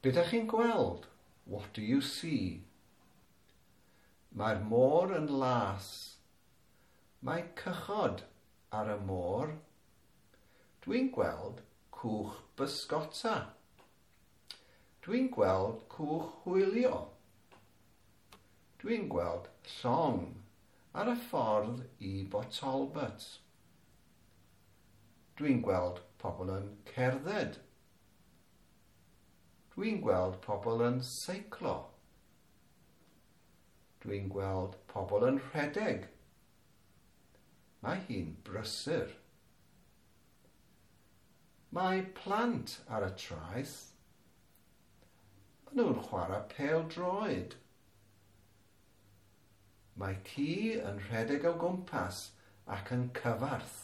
Be dach chi'n gweld? What do you see? Mae'r môr yn las. Mae cychod ar y môr. Dwi'n gweld cwch bysgota. Dwi'n gweld cwch hwylio. Dwi'n gweld llong ar y ffordd i Bort Talbot. Dwi'n gweld pobl yn cerdded. Dwi'n gweld pobl yn seiclo. Dwi'n gweld pobl yn rhedeg. Mae hi'n brysur. Mae plant ar y traeth. Maen nhw'n chwarae pêl-droed. Mae ci yn rhedeg o gwmpas ac yn cyfarth.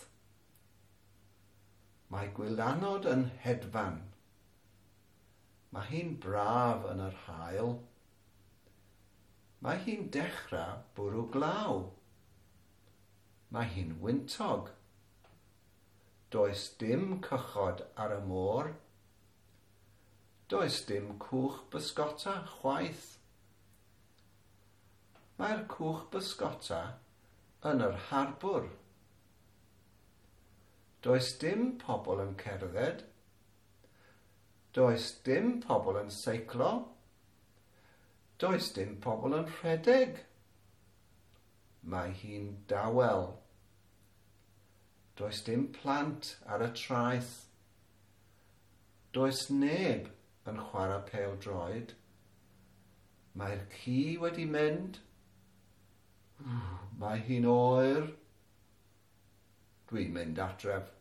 Mae gwylanod yn hedfan. Mae hi'n braf yn yr haul. Mae hi'n dechrau bwrw glaw. Mae hi'n wyntog. Does dim cychod ar y môr. Does dim cwch bysgota chwaith. Mae'r cwch bysgota yn yr harbwr. Does dim pobl yn cerdded. Does dim pobl yn seiclo. Does dim pobl yn rhedeg. Mae hi'n dawel. Does dim plant ar y traeth. Does neb yn chwarae pêl-droed. Mae'r ci wedi mynd. Mae hi'n oer. Dwi'n mynd adref.